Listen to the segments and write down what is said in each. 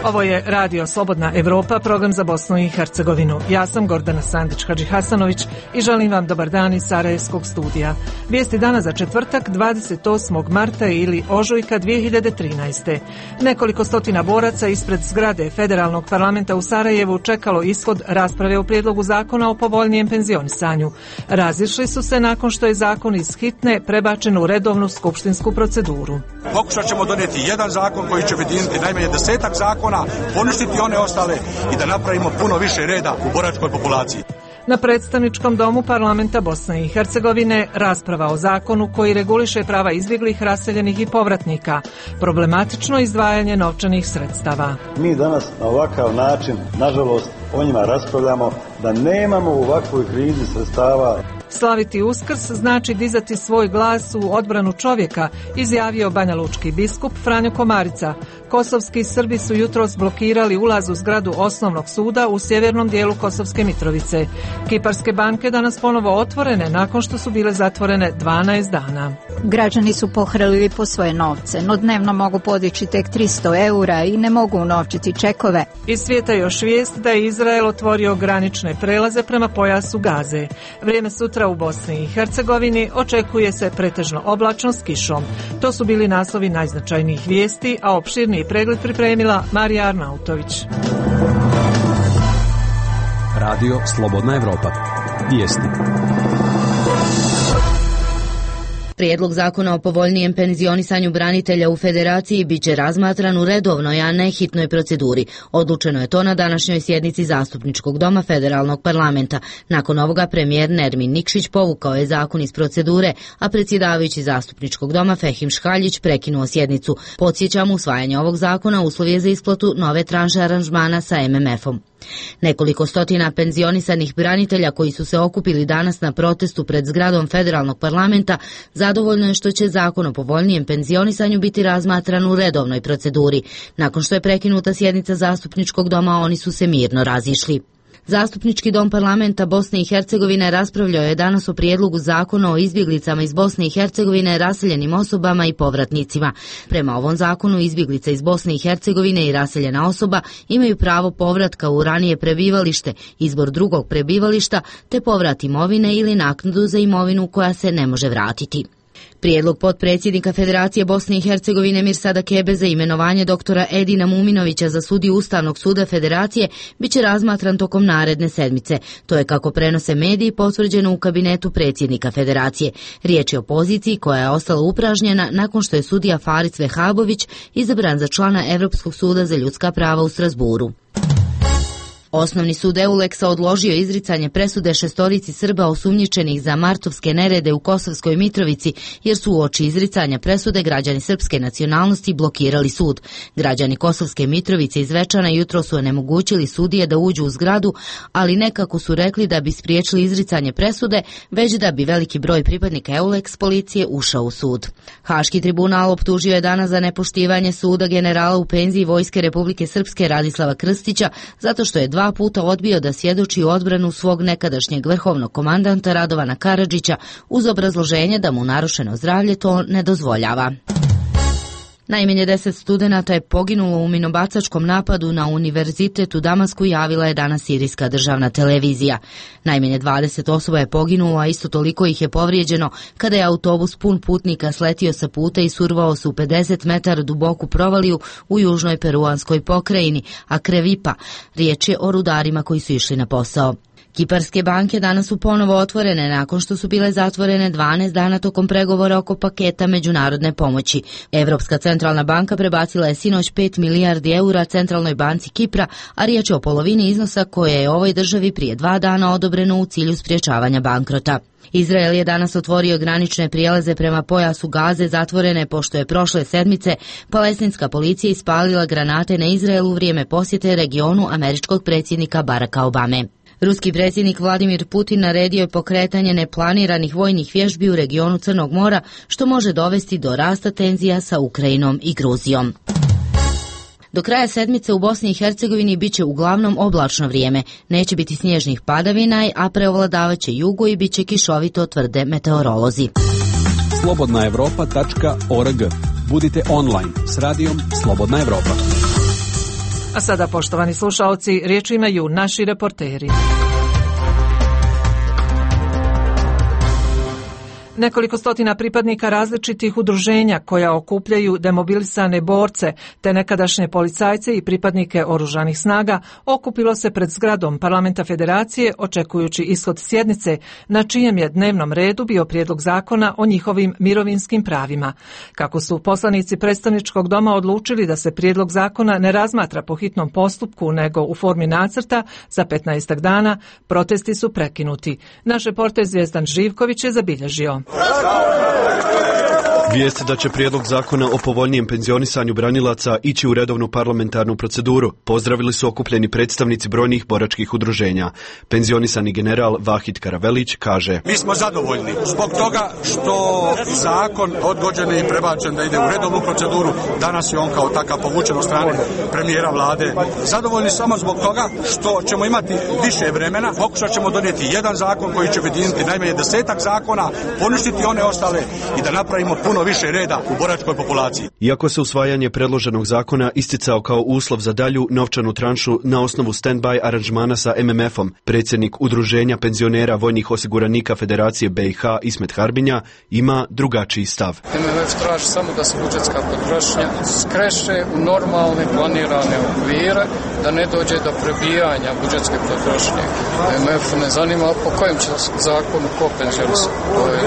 Ovo je Radio Slobodna Evropa, program za Bosnu i Hercegovinu. Ja sam Gordana Sandić-Hadžihasanović i želim vam dobar dan iz Sarajevskog studija. Vijesti dana za četvrtak 28. marta ili ožujka 2013. Nekoliko stotina boraca ispred zgrade Federalnog parlamenta u Sarajevu čekalo ishod rasprave o prijedlogu zakona o povoljnijem penzionisanju. Razišli su se nakon što je zakon iz hitne prebačen u redovnu skupštinsku proceduru. Pokušat ćemo donijeti jedan zakon koji će objediniti najmanje 10-ak zakona, poništiti one ostale i da napravimo puno više reda u boračkoj populaciji. Na predstavničkom domu parlamenta Bosne i Hercegovine rasprava o zakonu koji reguliše prava izbjeglih, raseljenih i povratnika. Problematično izdvajanje novčanih sredstava. Mi danas na ovakav način, nažalost, o njima raspravljamo da nemamo u ovakvoj krizi sredstava. Slaviti Uskrs znači dizati svoj glas u odbranu čovjeka, izjavio banjalučki biskup Franjo Komarica. Kosovski Srbi su jutros blokirali ulaz u zgradu osnovnog suda u sjevernom dijelu Kosovske Mitrovice. Kiparske banke danas ponovo otvorene nakon što su bile zatvorene 12 dana. Građani su pohrlili po svoje novce, no dnevno mogu podići tek 300 eura i ne mogu unovčiti čekove. Iz svijeta još vijest da je Izrael otvorio granične prelaze prema pojasu Gaze. Vrijeme sutra u Bosni i Hercegovini očekuje se pretežno oblačno s kišom. To su bili naslovi najznačajnijih vijesti, a opširniji pregled pripremila Marija Arnautović. Radio Slobodna Evropa. Vijesti. Prijedlog zakona o povoljnijem penzionisanju branitelja u Federaciji biće razmatran u redovnoj, a ne hitnoj proceduri. Odlučeno je to na današnjoj sjednici Zastupničkog doma Federalnog parlamenta. Nakon ovoga premijer Nermin Nikšić povukao je zakon iz procedure, a predsjedavajući Zastupničkog doma Fehim Škaljić prekinuo sjednicu. Podsjećam, usvajanje ovog zakona uslov je za isplatu nove tranše aranžmana sa MMF-om. Nekoliko stotina penzionisanih branitelja koji su se okupili danas na protestu pred zgradom Federalnog parlamenta zadovoljno je što će zakon o povoljnijem penzionisanju biti razmatran u redovnoj proceduri. Nakon što je prekinuta sjednica Zastupničkog doma, oni su se mirno razišli. Zastupnički dom parlamenta Bosne i Hercegovine raspravljao je danas o prijedlogu zakona o izbjeglicama iz Bosne i Hercegovine, raseljenim osobama i povratnicima. Prema ovom zakonu izbjeglica iz Bosne i Hercegovine i raseljena osoba imaju pravo povratka u ranije prebivalište, izbor drugog prebivališta te povrat imovine ili naknadu za imovinu koja se ne može vratiti. Prijedlog potpredsjednika Federacije Bosne i Hercegovine Mirsada Kebe za imenovanje doktora Edina Muminovića za sudiju Ustavnog suda Federacije biće razmatran tokom naredne sedmice. To je, kako prenose mediji, potvrđeno u kabinetu predsjednika Federacije. Riječ je o poziciji koja je ostala upražnjena nakon što je sudija Faris Vehabović izabran za člana Europskog suda za ljudska prava u Strasburu. Osnovni sud Euleksa odložio izricanje presude šestorici Srba osumnjičenih za martovske nerede u Kosovskoj Mitrovici, jer su uoči izricanja presude građani srpske nacionalnosti blokirali sud. Građani Kosovske Mitrovice iz Zvečana jutro su onemogućili sudije da uđu u zgradu, ali nekako su rekli da bi spriječili izricanje presude, već da bi veliki broj pripadnika Euleks policije ušao u sud. Haški tribunal optužio je danas za nepoštivanje suda generala u penziji Vojske Republike Srpske Radislava Krstića, zato što je 2 puta odbio da svjedoči u odbranu svog nekadašnjeg vrhovnog komandanta Radovana Karadžića uz obrazloženje da mu narušeno zdravlje to ne dozvoljava. Najmanje 10 studenata je poginulo u minobacačkom napadu na univerzitet u Damasku, javila je danas sirijska državna televizija. Najmanje 20 osoba je poginulo, a isto toliko ih je povrijeđeno kada je autobus pun putnika sletio sa puta i survao se u 50 metara duboku provaliju u južnoj peruanskoj pokrajini Akrevipa. Riječ je o rudarima koji su išli na posao. Kiparske banke danas su ponovo otvorene nakon što su bile zatvorene 12 dana tokom pregovora oko paketa međunarodne pomoći. Europska centralna banka prebacila je sinoć 5 milijardi eura Centralnoj banci Kipra, a riječ je o polovini iznosa koje je ovoj državi prije 2 dana odobreno u cilju sprječavanja bankrota. Izrael je danas otvorio granične prijelaze prema pojasu Gaze, zatvorene pošto je prošle sedmice palestinska policija ispalila granate na Izrael u vrijeme posjete regionu američkog predsjednika Baracka Obame. Ruski predsjednik Vladimir Putin naredio je pokretanje neplaniranih vojnih vježbi u regionu Crnog mora, što može dovesti do rasta tenzija sa Ukrajinom i Gruzijom. Do kraja sedmice u Bosni i Hercegovini biće uglavnom oblačno vrijeme. Neće biti snježnih padavina, a preovladavaće jugo i biće kišovito, tvrde meteorolozi. Slobodnaevropa.org. Budite online s radijom Slobodna Evropa. A sada, poštovani slušaoci, riječ imaju naši reporteri. Nekoliko stotina pripadnika različitih udruženja koja okupljaju demobilisane borce te nekadašnje policajce i pripadnike oružanih snaga okupilo se pred zgradom Parlamenta Federacije očekujući ishod sjednice na čijem je dnevnom redu bio prijedlog zakona o njihovim mirovinskim pravima. Kako su poslanici predstavničkog doma odlučili da se prijedlog zakona ne razmatra po hitnom postupku nego u formi nacrta za 15 dana, protesti su prekinuti. Naš reporter Zvijezdan Živković je zabilježio. Vijest da će prijedlog zakona o povoljnijem penzionisanju branilaca ići u redovnu parlamentarnu proceduru pozdravili su okupljeni predstavnici brojnih boračkih udruženja. Penzionisani general Vahid Karavelić kaže: Mi smo zadovoljni zbog toga što zakon odgođen i prebačen da ide u redovnu proceduru. Danas je on kao takav povučen od strane premijera vlade. Zadovoljni samo zbog toga što ćemo imati više vremena. Pokušat ćemo donijeti jedan zakon koji će objediniti najmanje 10 zakona, poništiti one ostale i da napravimo puno više reda u boračkoj populaciji. Iako se usvajanje predloženog zakona isticao kao uslov za dalju novčanu tranšu na osnovu stand-by aranžmana sa MMF-om, predsjednik Udruženja penzionera vojnih osiguranika Federacije BiH Ismet Harbinja ima drugačiji stav. MMF traži samo da se budžetska potrošnja skreše u normalne planirane okvire, da ne dođe do prebijanja budžetske potrošnje. MMF ne zanima po kojem će zakonu ko penzionisati. To je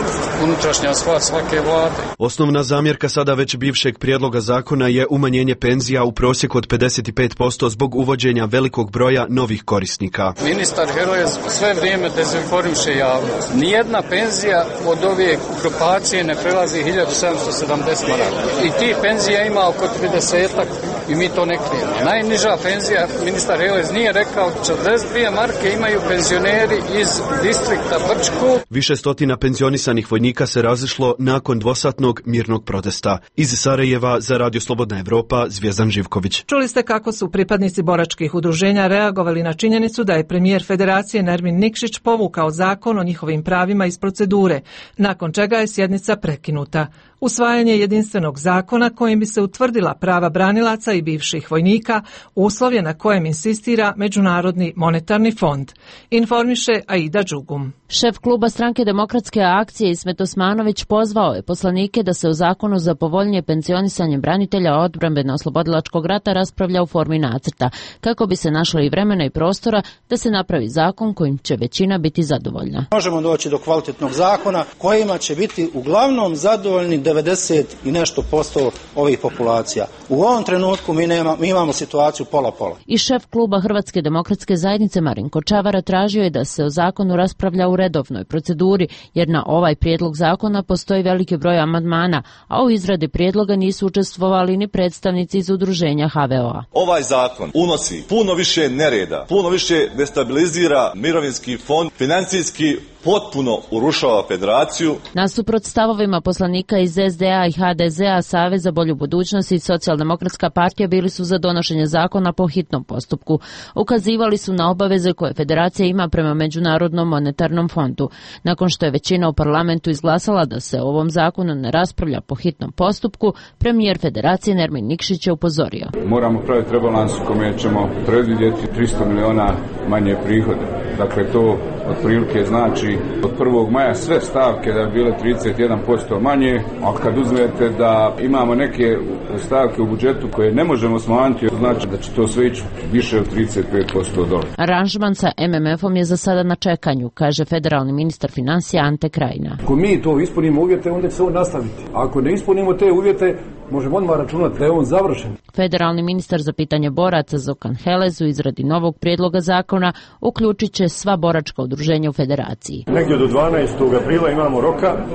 unutrašnja stvar svake vlade. Osnovna zamjerka sada već bivšeg prijedloga zakona je umanjenje penzija u prosjeku od 55% zbog uvođenja velikog broja novih korisnika. Ministar Heroj sve vrijeme dezinformiše javnost. Nijedna penzija od ove grupacije ne prelazi 1770 maraka. I ti penzija ima oko 30-ak i mi to ne krijemo. Najniža penzija, ministar Heroj nije rekao, 42 marke imaju penzioneri iz distrikta Brčko. Više stotina penzionisanih vojnika se razišlo nakon dvosatnog mirnog protesta. Iz Sarajeva za Radio Slobodna Evropa, Zvijezdan Živković. Čuli ste kako su pripadnici boračkih udruženja reagovali na činjenicu da je premijer Federacije Nermin Nikšić povukao zakon o njihovim pravima iz procedure, nakon čega je sjednica prekinuta. Usvajanje jedinstvenog zakona kojim bi se utvrdila prava branilaca i bivših vojnika uslov je na kojem insistira Međunarodni monetarni fond. Informiše Aida Đugum. Šef kluba Stranke demokratske akcije Ismet Osmanović pozvao je poslanike da se o zakonu za povoljnije penzionisanje branitelja odbrambeno-oslobodilačkog rata raspravlja u formi nacrta, kako bi se našlo i vremena i prostora da se napravi zakon kojim će većina biti zadovoljna. Možemo doći do kvalitetnog zakona kojima će biti uglavnom zadovoljni 90 i nešto posto ovih populacija. U ovom trenutku mi imamo situaciju pola-pola. I šef kluba Hrvatske demokratske zajednice Marinko Čavara tražio je da se o zakonu raspravlja u redovnoj proceduri, jer na ovaj prijedlog zakona postoji veliki broj amandmana, a u izradi prijedloga nisu učestvovali ni predstavnici iz udruženja HVO-a. Ovaj zakon unosi puno više nereda, puno više destabilizira mirovinski fond, financijski potpuno urušava federaciju. Nasuprot stavovima poslanika iz SDA i HDZ-a, Savez za bolju budućnost i Socijaldemokratska partija bili su za donošenje zakona po hitnom postupku. Ukazivali su na obaveze koje federacija ima prema Međunarodnom monetarnom fondu. Nakon što je većina u parlamentu izglasala da se o ovom zakonu ne raspravlja po hitnom postupku, premijer federacije Nermin Nikšić je upozorio. Moramo praviti rebalans u kome ćemo predvidjeti 300 miliona manje prihode. Dakle, to otprilike znači od 1. maja sve stavke da bi bile 31% manje, a kad uzmete da imamo neke stavke u budžetu koje ne možemo smanjiti, znači da će to sve ići više od 35% dole. Aranžman sa MMF-om je za sada na čekanju, kaže federalni ministar financija Ante Krajina. Ako mi to ispunimo uvjete, onda će se on nastaviti. Ako ne ispunimo te uvjete, možemo odmah računati da je on završen. Federalni ministar za pitanje boraca Zokan Helez u izradi novog prijedloga zakona uključit će sva boračka udruženja u federaciji. Negdje do 12. aprila imamo roka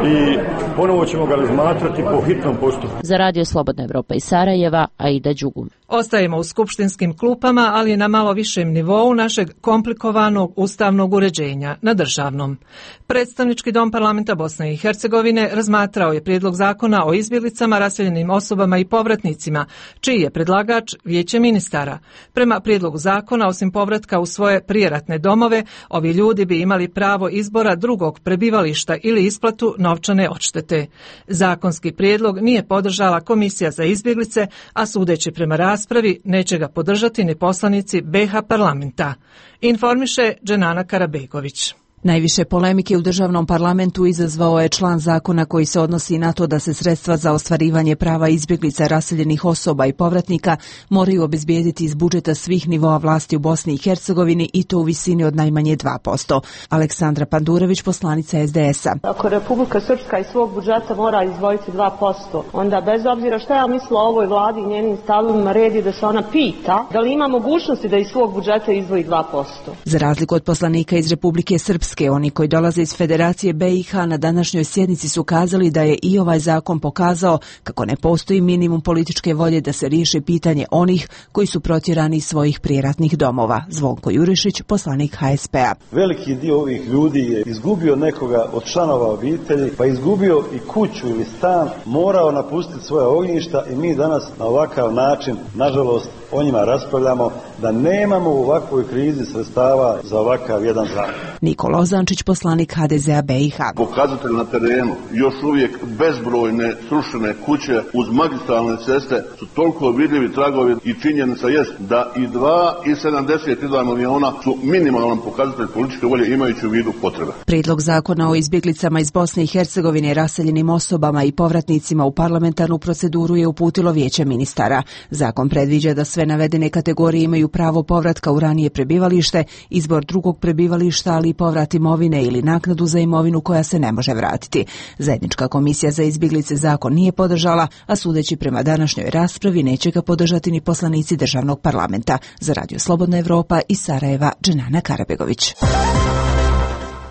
i ponovo ćemo ga razmatrati po hitnom postupku. Za Radio Slobodna Evropa iz Sarajeva, Aida Đugum. Ostajemo u skupštinskim klupama, ali na malo višem nivou našeg komplikovanog ustavnog uređenja, na državnom. Predstavnički dom parlamenta Bosne i Hercegovine razmatrao je prijedlog zakona o izbjeglicama, raseljenim osobama i povratnicima, čiji je predlagač Vijeće ministara. Prema prijedlogu zakona, osim povratka u svoje prijeratne domove, ovi ljudi bi imali pravo izbora drugog prebivališta ili isplatu novčane odštete. Zakonski prijedlog nije podržala Komisija za izbjeglice, a sudeći prema raspravi raspravi, neće ga podržati ni poslanici BiH parlamenta. Informiše Dženana Karabegović. Najviše polemike u državnom parlamentu izazvao je član zakona koji se odnosi na to da se sredstva za ostvarivanje prava izbjeglica, raseljenih osoba i povratnika moraju obezbijediti iz budžeta svih nivoa vlasti u Bosni i Hercegovini i to u visini od najmanje 2%. Aleksandra Pandurević, poslanica SDS-a. Ako Republika Srpska iz svog budžeta mora izdvojiti 2%, onda bez obzira što ja mislila o ovoj vladi i njenim stavovima, red je da se ona pita da li ima mogućnosti da iz svog budžeta izdvoji 2%. Za razliku od poslanika iz Republike Srpske, oni koji dolaze iz Federacije BiH na današnjoj sjednici su kazali da je i ovaj zakon pokazao kako ne postoji minimum političke volje da se riješi pitanje onih koji su protjerani iz svojih prijeratnih domova. Zvonko Jurišić, poslanik HSP-a. Veliki dio ovih ljudi je izgubio nekoga od članova obitelji, pa izgubio i kuću ili stan, morao napustiti svoja ognjišta i mi danas na ovakav način, nažalost, o njima raspravljamo da nemamo u ovakvoj krizi sredstava za ovakav jedan zakon. Nikola Ozančić, poslanik HDZ-a BiH. Pokazatelj na terenu, još uvijek bezbrojne srušene kuće uz magistralne ceste su toliko vidljivi tragovi i činjenica jest da i 2,72 milijuna su minimalan pokazatelj političke volje imajući u vidu potrebe. Prijedlog zakona o izbjeglicama iz Bosne i Hercegovine, raseljenim osobama i povratnicima u parlamentarnu proceduru je uputilo Vijeće ministara. Zakon predviđa da sve navedene kategorije imaju pravo povratka u ranije prebivalište, izbor drugog prebivališta, ali i povrat imovine ili naknadu za imovinu koja se ne može vratiti. Zajednička komisija za izbjeglice zakon nije podržala, a sudeći prema današnjoj raspravi neće ga podržati ni poslanici državnog parlamenta. Za Radio Slobodna Evropa iz Sarajeva, Dženana Karabegović.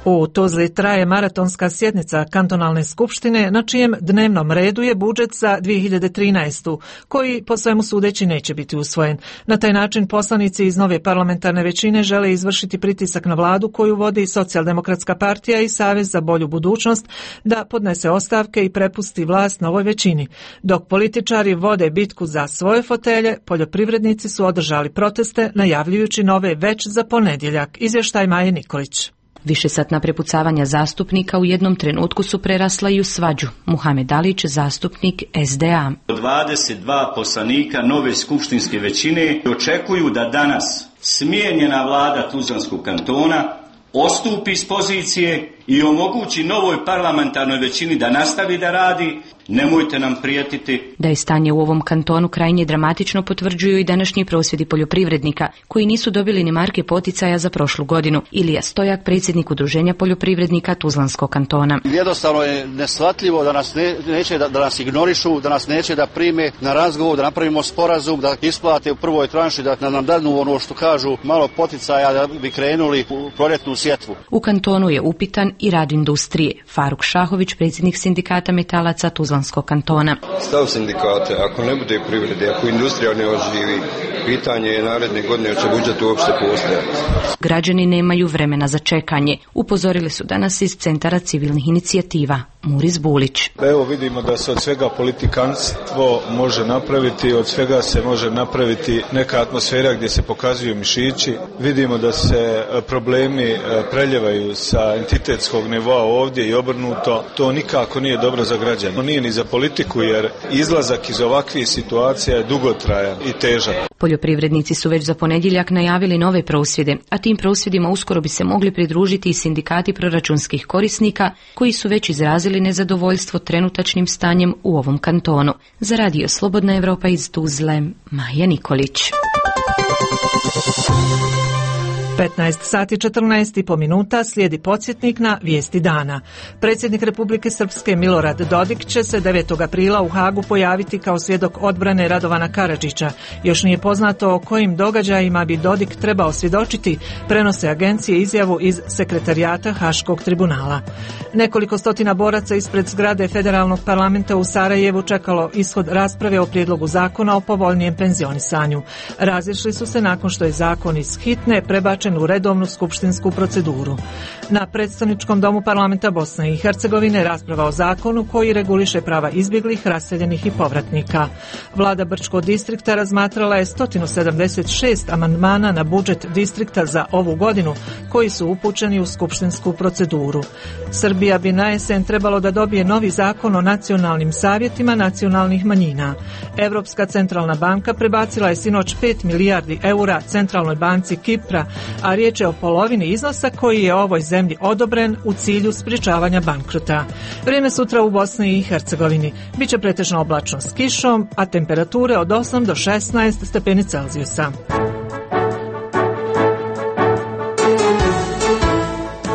U Tuzli traje maratonska sjednica kantonalne skupštine na čijem dnevnom redu je budžet za 2013. koji po svemu sudeći neće biti usvojen. Na taj način poslanici iz nove parlamentarne većine žele izvršiti pritisak na vladu koju vodi Socijaldemokratska partija i Savez za bolju budućnost da podnese ostavke i prepusti vlast novoj većini. Dok političari vode bitku za svoje fotelje, poljoprivrednici su održali proteste najavljujući nove već za ponedjeljak. Izvještaj Maje Nikolić. Višesatna prepucavanja zastupnika u jednom trenutku su prerasla i u svađu. Muhamed Alić, zastupnik SDA. 22 poslanika nove skupštinske većine očekuju da danas smijenjena vlada Tuzlanskog kantona odstupi s pozicije i omogući novoj parlamentarnoj većini da nastavi da radi. Nemojte nam prijetiti. Da je stanje u ovom kantonu krajnje dramatično potvrđuju i današnji prosvjedi poljoprivrednika, koji nisu dobili ni marke poticaja za prošlu godinu. Ilija Stojak, predsjednik Udruženja poljoprivrednika Tuzlanskog kantona. Jednostavno je neshvatljivo da nas neće da nas ignorišu, da nas neće da prime na razgovor, da napravimo sporazum, da isplate u prvoj tranši, da nam danu ono što kažu malo poticaja da bi krenuli u proljetnu sjetvu. U kantonu je upitan i rad industrije. Faruk Šahović, predsjednik sindikata metalaca Tuzlanskog kantona. Stav sindikate, ako ne bude privrede, ako industrija ne oživi, pitanje je naredne godine će budžet uopšte postojati. Građani nemaju vremena za čekanje, upozorili su danas iz Centara civilnih inicijativa. Muris Bulić. Evo vidimo da se od svega politikanstvo može napraviti, od svega se može napraviti neka atmosfera gdje se pokazuju mišići. Vidimo da se problemi preljevaju sa entitetskog nivoa ovdje i obrnuto. To nikako nije dobro za građane. To nije ni za politiku jer izlazak iz ovakvih situacija je dugotrajan i težak. Poljoprivrednici su već za ponedjeljak najavili nove prosvjede, a tim prosvjedima uskoro bi se mogli pridružiti i sindikati proračunskih korisnika koji su već izrazili nezadovoljstvo trenutačnim stanjem u ovom kantonu. Za Radio Slobodna Evropa iz Tuzle, Maja Nikolić. 15 sati 14,5 minuta slijedi podsjetnik na vijesti dana. Predsjednik Republike Srpske Milorad Dodik će se 9. aprila u Hagu pojaviti kao svjedok odbrane Radovana Karadžića. Još nije poznato o kojim događajima bi Dodik trebao svjedočiti, prenose agencije izjavu iz sekretarijata Haškog tribunala. Nekoliko stotina boraca ispred zgrade Federalnog parlamenta u Sarajevu čekalo ishod rasprave o prijedlogu zakona o povoljnijem penzionisanju. Razišli su se nakon što je zakon iz hitne prebačen prebačen u redovnu skupštinsku proceduru. Na predstavničkom domu parlamenta Bosne i Hercegovine rasprava o zakonu koji reguliše prava izbjeglih, raseljenih i povratnika. Vlada Brčkog distrikta razmatrala je 176 amandmana na budžet distrikta za ovu godinu koji su upućeni u skupštinsku proceduru. Srbija bi na jesen trebalo da dobije novi zakon o nacionalnim savjetima nacionalnih manjina. Evropska centralna banka prebacila je sinoć 5 milijardi eura Centralnoj banci Kipra, a riječ je o polovini iznosa koji je ovoj zemlji odobren u cilju sprječavanja bankrota. Vrijeme sutra u Bosni i Hercegovini biće pretežno oblačno s kišom, a temperature od 8 do 16 stepeni Celzijusa.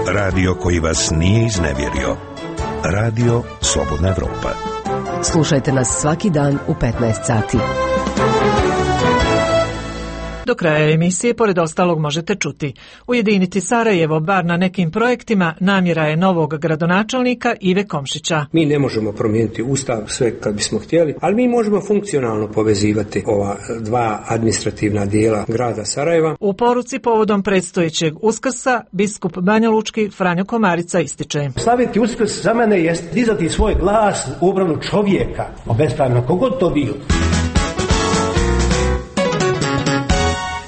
Radio koji vas nije iznevjerio. Radio Slobodna Evropa. Slušajte nas svaki dan u 15 sati. Do kraja emisije, pored ostalog, možete čuti: ujediniti Sarajevo bar na nekim projektima namjera je novog gradonačelnika Ive Komšića. Mi ne možemo promijeniti Ustav sve kad bismo htjeli, ali mi možemo funkcionalno povezivati ova dva administrativna dijela grada Sarajeva. U poruci povodom predstojećeg Uskrsa biskup banjalučki Franjo Komarica ističe: slaviti Uskrs za mene jest dizati svoj glas u obranu čovjeka, obespravno kogod to bio.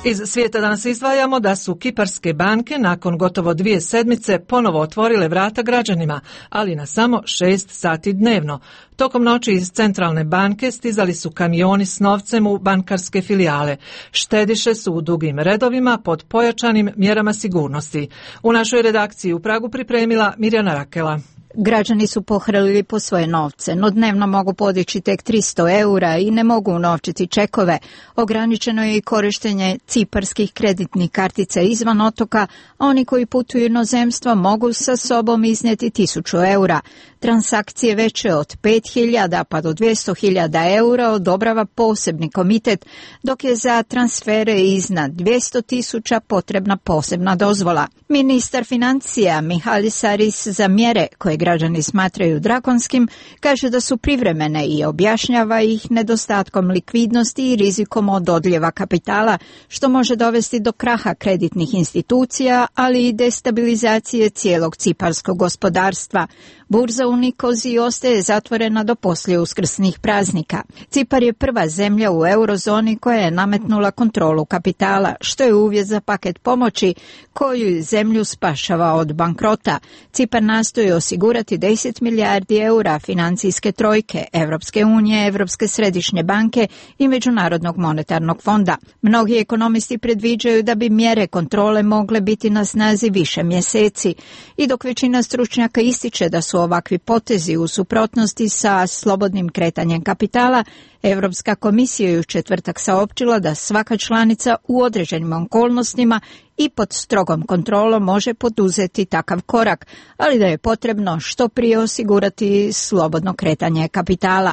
Iz svijeta danas izdvajamo da su kiparske banke nakon gotovo 2 sedmice ponovo otvorile vrata građanima, ali na samo 6 sati dnevno. Tokom noći iz centralne banke stizali su kamioni s novcem u bankarske filijale. Štediše su u dugim redovima pod pojačanim mjerama sigurnosti. U našoj redakciji u Pragu pripremila Mirjana Rakela. Građani su pohrlili po svoje novce, no dnevno mogu podići tek 300 eura i ne mogu unovčiti čekove. Ograničeno je i korištenje ciparskih kreditnih kartica izvan otoka, a oni koji putuju inozemstvo mogu sa sobom iznijeti 1000 eura. Transakcije veće od 5.000 pa do 200.000 eura odobrava posebni komitet, dok je za transfere iznad 200.000 potrebna posebna dozvola. Ministar financija Mihalis Aris za mjere koje građani smatraju drakonskim kaže da su privremene i objašnjava ih nedostatkom likvidnosti i rizikom od odljeva kapitala, što može dovesti do kraha kreditnih institucija, ali i destabilizacije cijelog ciparskog gospodarstva. Burza u Nikoziji ostaje zatvorena do poslije uskrsnih praznika. Cipar je prva zemlja u eurozoni koja je nametnula kontrolu kapitala, što je uvjet za paket pomoći koju zemlju spašava od bankrota. Cipar nastoji osigurati 10 milijardi eura financijske trojke Evropske unije, Evropske središnje banke i Međunarodnog monetarnog fonda. Mnogi ekonomisti predviđaju da bi mjere kontrole mogle biti na snazi više mjeseci, i dok većina stručnjaka ističe da su ovakvi potezi u suprotnosti sa slobodnim kretanjem kapitala, Europska komisija je u četvrtak saopćila da svaka članica u određenim okolnostima i pod strogom kontrolom može poduzeti takav korak, ali da je potrebno što prije osigurati slobodno kretanje kapitala.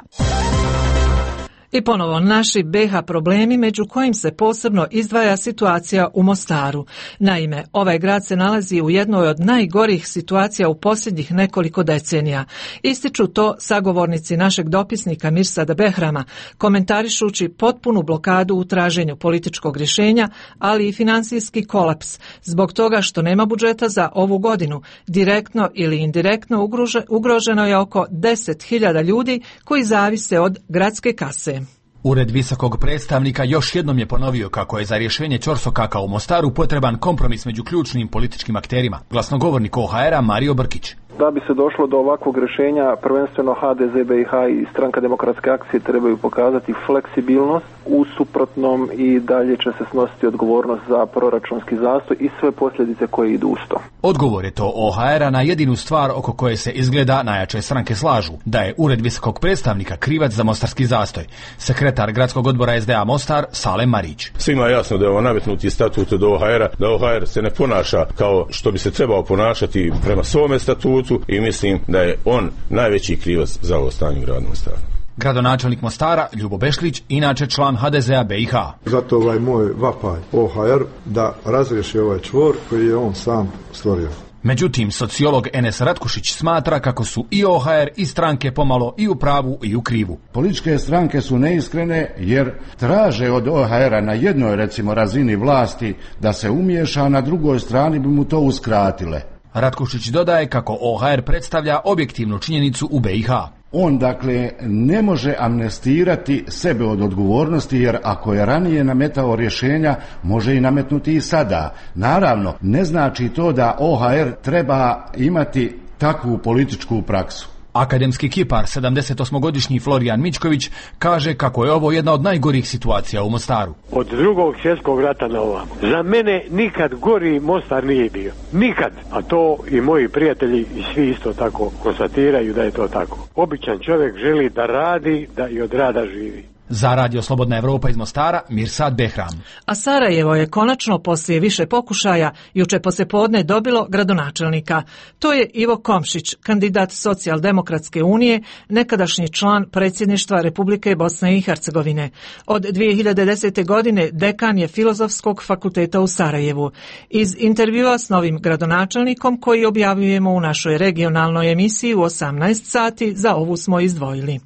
I ponovo naši BiH problemi, među kojim se posebno izdvaja situacija u Mostaru. Naime, ovaj grad se nalazi u jednoj od najgorih situacija u posljednjih nekoliko decenija. Ističu to sagovornici našeg dopisnika Mirsada Behrama, komentarišući potpunu blokadu u traženju političkog rješenja, ali i financijski kolaps, zbog toga što nema budžeta za ovu godinu. Direktno ili indirektno ugroženo je oko 10.000 ljudi koji zavise od gradske kase. Ured visokog predstavnika još jednom je ponovio kako je za rješenje ćorsokaka u Mostaru potreban kompromis među ključnim političkim akterima. Glasnogovornik OHR-a Mario Brkić. Da bi se došlo do ovakvog rješenja, prvenstveno HDZ BiH i Stranka demokratske akcije trebaju pokazati fleksibilnost, u suprotnom i dalje će se snositi odgovornost za proračunski zastoj i sve posljedice koje idu uz to. Odgovor je to OHR-a na jedinu stvar oko koje se izgleda najjače stranke slažu, da je Ured visokog predstavnika krivac za mostarski zastoj. Sekretar gradskog odbora SDA Mostar Salem Marić. Svima je jasno da je ovo nametnuti statut od OHR-a, da OHR se ne ponaša kao što bi se trebao ponašati prema svome statutu, i mislim da je on najveći krivac za ovo stanje u gradu Mostaru. Gradonačelnik Mostara Ljubo Bešlić, inače član HDZ-a BiH. Zato ovaj moj vapaj OHR da razriješi ovaj čvor koji je on sam stvorio. Međutim, sociolog Enes Ratkušić smatra kako su i OHR i stranke pomalo i u pravu i u krivu. Političke stranke su neiskrene jer traže od OHR-a na jednoj recimo razini vlasti da se umiješa, a na drugoj strani bi mu to uskratile. Ratkušić dodaje kako OHR predstavlja objektivnu činjenicu u BiH. On dakle ne može amnestirati sebe od odgovornosti, jer ako je ranije nametao rješenja, može i nametnuti i sada. Naravno, ne znači to da OHR treba imati takvu političku praksu. Akademski kipar, 78-godišnji Florijan Mičković, kaže kako je ovo jedna od najgorih situacija u Mostaru. Od Drugog svjetskog rata na ovamo. Za mene nikad gori Mostar nije bio. Nikad. A to i moji prijatelji i svi isto tako konstatiraju da je to tako. Običan čovjek želi da radi, da i od rada živi. Za Radio Slobodna Evropa iz Mostara, Mirsad Behram. A Sarajevo je konačno poslije više pokušaja juče poslijepodne dobilo gradonačelnika. To je Ivo Komšić, kandidat Socijaldemokratske unije, nekadašnji član predsjedništva Republike Bosne i Hercegovine. Od 2010. godine dekan je Filozofskog fakulteta u Sarajevu. Iz intervjua s novim gradonačelnikom koji objavljujemo u našoj regionalnoj emisiji u 18 sati, za ovu smo izdvojili.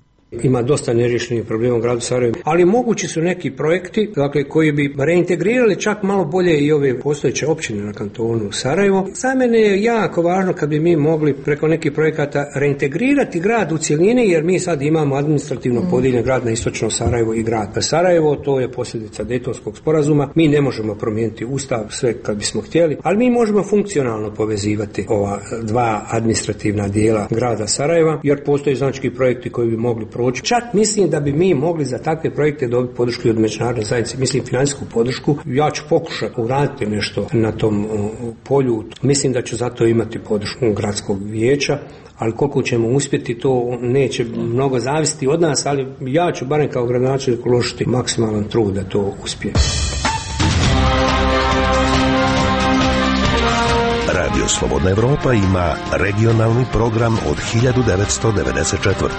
Ima dosta neriješenih problema u gradu Sarajevu, ali mogući su neki projekti, dakle, koji bi reintegrirali čak malo bolje i ove postojeće općine na kantonu Sarajevo. Za mene je jako važno kad bi mi mogli preko nekih projekata reintegrirati grad u cjelini, jer mi sad imamo administrativno podijeljen grad na istočno Sarajevo i grad Sarajevo. To je posljedica Dejtonskog sporazuma. Mi ne možemo promijeniti ustav sve kad bismo htjeli, ali mi možemo funkcionalno povezivati ova dva administrativna dijela grada Sarajeva, jer postoje znači projekti koji bi mogli proći. Čak mislim da bi mi mogli za takve projekte dobiti podršku od međunarodne zajednice, mislim financijsku podršku. Ja ću pokušati uraditi nešto na tom polju. Mislim da ću zato imati podršku gradskog vijeća, ali koliko ćemo uspjeti, to neće mnogo zavisiti od nas, ali ja ću barem kao gradonačelnik uložiti maksimalan trud da to uspije. Radio Slobodna Evropa ima regionalni program od 1994.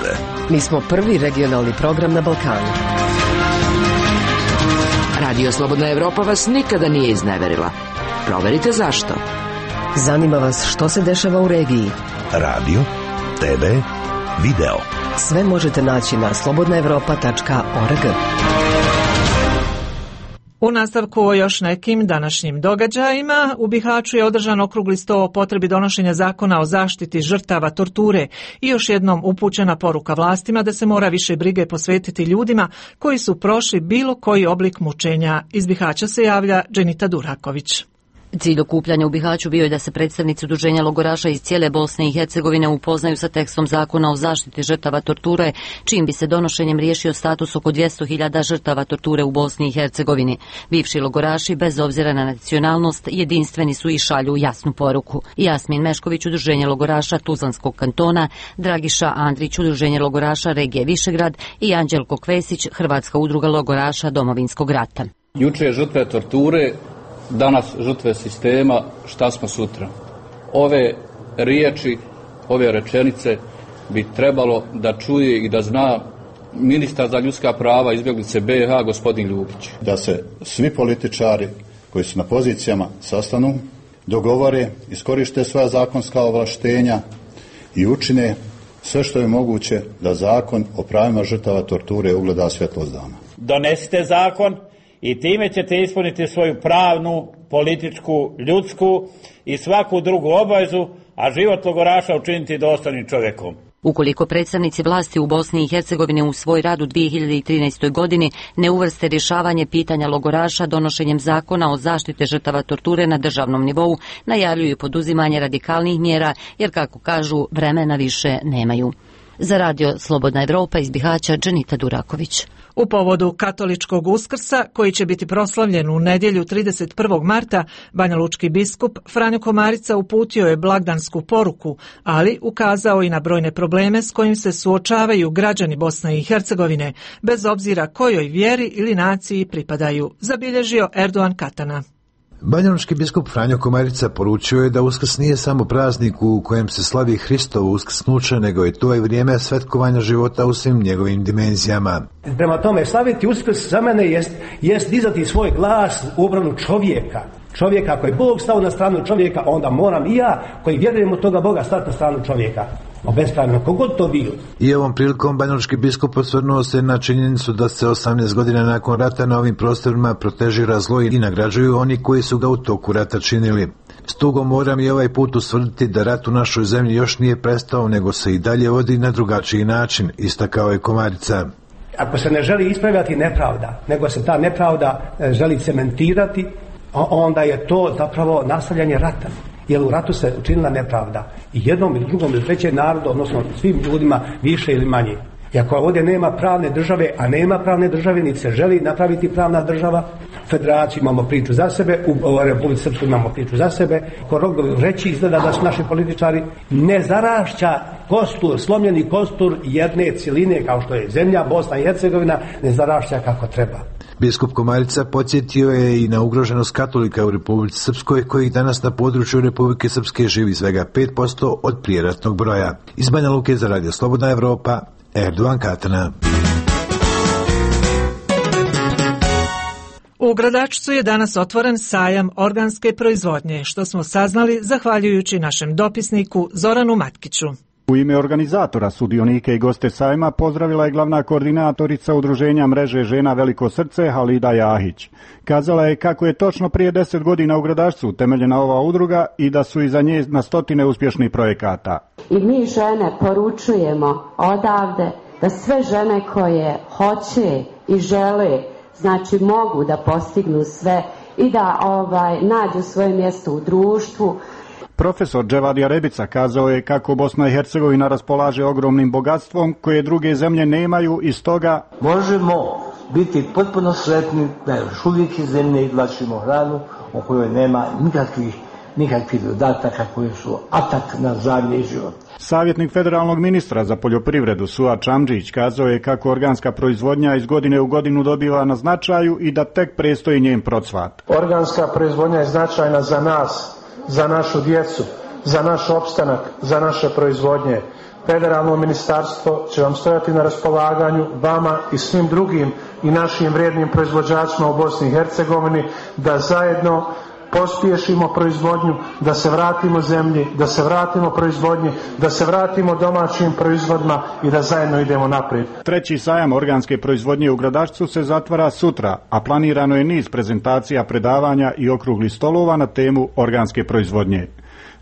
Mi smo prvi regionalni program na Balkanu. Radio Slobodna Evropa vas nikada nije izneverila. Proverite zašto. Zanima vas što se dešava u regiji. Radio, TV, video. Sve možete naći na slobodnaevropa.org. U nastavku o još nekim današnjim događajima, u Bihaću je održan okrugli sto o potrebi donošenja zakona o zaštiti žrtava torture i još jednom upućena poruka vlastima da se mora više brige posvetiti ljudima koji su prošli bilo koji oblik mučenja. Iz Bihaća se javlja Dženita Duraković. Cilj okupljanja u Bihaću bio je da se predstavnici udruženja logoraša iz cijele Bosne i Hercegovine upoznaju sa tekstom zakona o zaštiti žrtava torture, čim bi se donošenjem riješio status oko 200.000 žrtava torture u Bosni i Hercegovini. Bivši logoraši, bez obzira na nacionalnost, jedinstveni su i šalju jasnu poruku. Jasmin Mešković, udruženje logoraša Tuzlanskog kantona, Dragiša Andrić, udruženje logoraša regije Višegrad i Anđelko Kvesić, Hrvatska udruga logoraša Domovinskog rata. Juče žrtve torture, danas žrtve sistema, šta smo sutra? Ove riječi, ove rečenice bi trebalo da čuje i da zna ministar za ljudska prava izbjeglice BiH, gospodin Ljubić. Da se svi političari koji su na pozicijama sastanu, dogovore, iskoriste svoja zakonska ovlaštenja i učine sve što je moguće da zakon o pravima žrtava torture ugleda svjetlost dana. Donesite zakon i time ćete ispuniti svoju pravnu, političku, ljudsku i svaku drugu obavezu, a život logoraša učiniti dostojnim čovjekom. Ukoliko predstavnici vlasti u Bosni i Hercegovini u svoj rad u 2013. godini ne uvrste rješavanje pitanja logoraša donošenjem zakona o zaštite žrtava torture na državnom nivou, najavljuju poduzimanje radikalnih mjera, jer kako kažu, vremena više nemaju. Za Radio Slobodna Evropa iz Bihaća, Dženita Duraković. U povodu katoličkog Uskrsa, koji će biti proslavljen u nedjelju 31. marta, banjalučki biskup Franjo Komarica uputio je blagdansku poruku, ali ukazao i na brojne probleme s kojim se suočavaju građani Bosne i Hercegovine, bez obzira kojoj vjeri ili naciji pripadaju, zabilježio Erdogan Katana. Banjalučki biskup Franjo Komarica poručio je da Uskrs nije samo praznik u kojem se slavi Hristovo uskrsnuće, nego je to i vrijeme svetkovanja života u svim njegovim dimenzijama. Prema tome, slaviti Uskrs za mene jest dizati svoj glas u obranu čovjeka. čovjeka. Ako je Bog stao na stranu čovjeka, onda moram i ja, koji vjerujem u toga Boga, stati na stranu čovjeka. Obespravljeno, kogod to bio. I ovom prilikom banjalučki biskup osvrnuo se na činjenicu da se 18 godina nakon rata na ovim prostorima protežira zlo i nagrađuju oni koji su ga u toku rata činili. S tugom moram i ovaj put ustvrditi da rat u našoj zemlji još nije prestao, nego se i dalje vodi na drugačiji način, istakao je Komarica. Ako se ne želi ispravljati nepravda, nego se ta nepravda želi cementirati, onda je to zapravo nastavljanje rata. Jer u ratu se učinila nepravda i jednom ili drugom ili trećem narodu, odnosno svim ljudima više ili manje. I ako ovdje nema pravne države, a nema pravne države, niti se želi napraviti pravna država, federaciji imamo priču za sebe, u Republici Srpskoj imamo priču za sebe, reći izgleda da su naši političari ne zarašća kostur, slomljeni kostur jedne cijeline kao što je zemlja, Bosna i Hercegovina, ne zarašća kako treba. Biskup Komarica podsjetio je i na ugroženost katolika u Republici Srpskoj, kojih danas na području Republike Srpske živi svega 5% od prijeratnog broja. Iz Banja Luke za Radio Slobodna Evropa, Erdovan Katana. U Gradačcu je danas otvoren sajam organske proizvodnje, što smo saznali zahvaljujući našem dopisniku Zoranu Matkiću. U ime organizatora, sudionike i goste sajma pozdravila je glavna koordinatorica udruženja mreže žena Veliko srce Halida Jahić. Kazala je kako je točno prije 10 godina u Gradačcu utemeljena ova udruga i da su iza nje na stotine uspješnih projekata. I mi žene poručujemo odavde da sve žene koje hoće i žele, znači mogu da postignu sve i da nađu svoje mjesto u društvu. Profesor Dževadija Rebica kazao je kako Bosna i Hercegovina raspolaže ogromnim bogatstvom koje druge zemlje nemaju i stoga možemo biti potpuno sretni da još uvijek iz zemlje izvlačimo hranu o kojoj nema nikakvih dodataka koji su atak na zdravlje i život. Savjetnik federalnog ministra za poljoprivredu Suad Čamdžić kazao je kako organska proizvodnja iz godine u godinu dobiva na značaju i da tek predstoji njen procvat. Organska proizvodnja je značajna za nas, za našu djecu, za naš opstanak, za naše proizvodnje. Federalno ministarstvo će vam stojati na raspolaganju, vama i svim drugim i našim vrijednim proizvođačima u Bosni i Hercegovini, da zajedno pospješimo proizvodnju, da se vratimo zemlji, da se vratimo proizvodnji, da se vratimo domaćim proizvodima i da zajedno idemo naprijed. Treći sajam organske proizvodnje u Gradačcu se zatvara sutra, a planirano je niz prezentacija, predavanja i okruglih stolova na temu organske proizvodnje.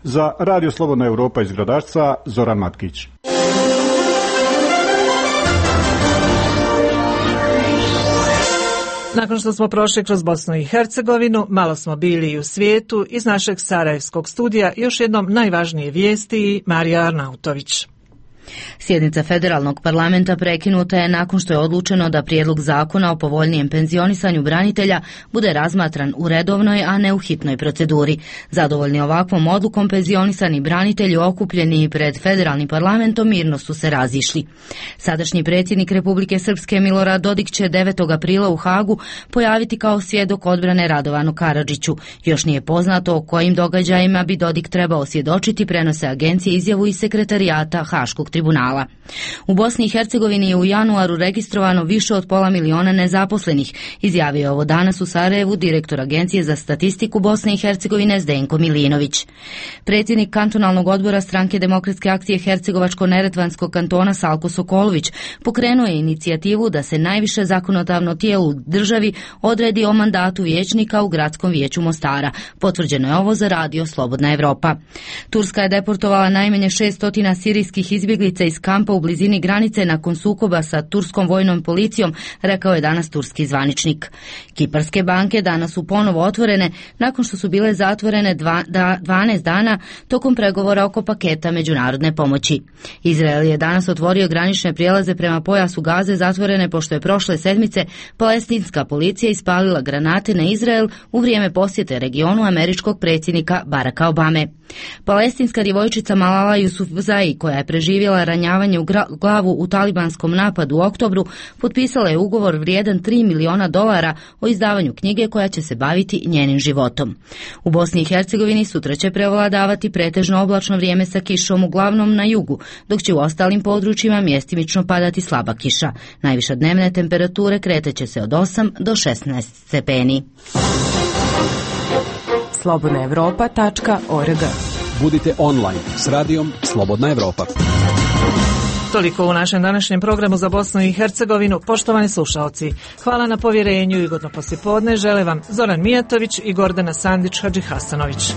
Za Radio Slobodna Evropa iz Gradačca, Zoran Matkić. Nakon što smo prošli kroz Bosnu i Hercegovinu, malo smo bili i u svijetu. Iz našeg sarajevskog studija još jednom najvažnije vijesti, Marija Arnautović. Sjednica federalnog parlamenta prekinuta je nakon što je odlučeno da prijedlog zakona o povoljnijem penzionisanju branitelja bude razmatran u redovnoj, a ne u hitnoj proceduri. Zadovoljni ovakvom odlukom, penzionisani branitelji okupljeni pred federalnim parlamentom mirno su se razišli. Sadašnji predsjednik Republike Srpske Milorad Dodik će 9. aprila u Hagu pojaviti kao svjedok odbrane Radovanu Karadžiću. Još nije poznato o kojim događajima bi Dodik trebao svjedočiti, prenose agencije izjavu iz sekretarijata Haškog tribunala. U Bosni i Hercegovini je u januaru registrovano više od 500.000 nezaposlenih, izjavio je ovo danas u Sarajevu direktor Agencije za statistiku Bosne i Hercegovine Zdenko Milinović. Predsjednik kantonalnog odbora Stranke demokratske akcije Hercegovačko-neretvanskog kantona Salko Sokolović pokrenuo je inicijativu da se najviše zakonodavno tijelo u državi odredi o mandatu vijećnika u Gradskom vijeću Mostara. Potvrđeno je ovo za Radio Slobodna Evropa. Turska je deportovala najmanje 600 sirijskih izbjeglica iz kampa u blizini granice nakon sukoba sa turskom vojnom policijom, rekao je danas turski zvaničnik. Kiparske banke danas su ponovo otvorene nakon što su bile zatvorene 12 dana tokom pregovora oko paketa međunarodne pomoći. Izrael je danas otvorio granične prijelaze prema pojasu Gaze zatvorene pošto je prošle sedmice palestinska policija ispalila granate na Izrael u vrijeme posjete regionu američkog predsjednika Baracka Obame. Palestinska djevojčica Malala Yousafzai, koja je preživjela ranjavanje u glavu u talibanskom napadu u oktobru, potpisala je ugovor vrijedan $3 miliona o izdavanju knjige koja će se baviti njenim životom. U Bosni i Hercegovini sutra će prevladavati pretežno oblačno vrijeme sa kišom uglavnom na jugu, dok će u ostalim područjima mjestimično padati slaba kiša. Najviša dnevne temperature kretat će se od 8 do 16 stepeni. slobodnaevropa.org. Budite online s radijom Slobodna Evropa. Toliko u našem današnjem programu za Bosnu i Hercegovinu. Poštovani slušaoci, hvala na povjerenju i ugodno poslijepodne žele vam Zoran Mijatović i Gordana Sandić Hadžihasanović.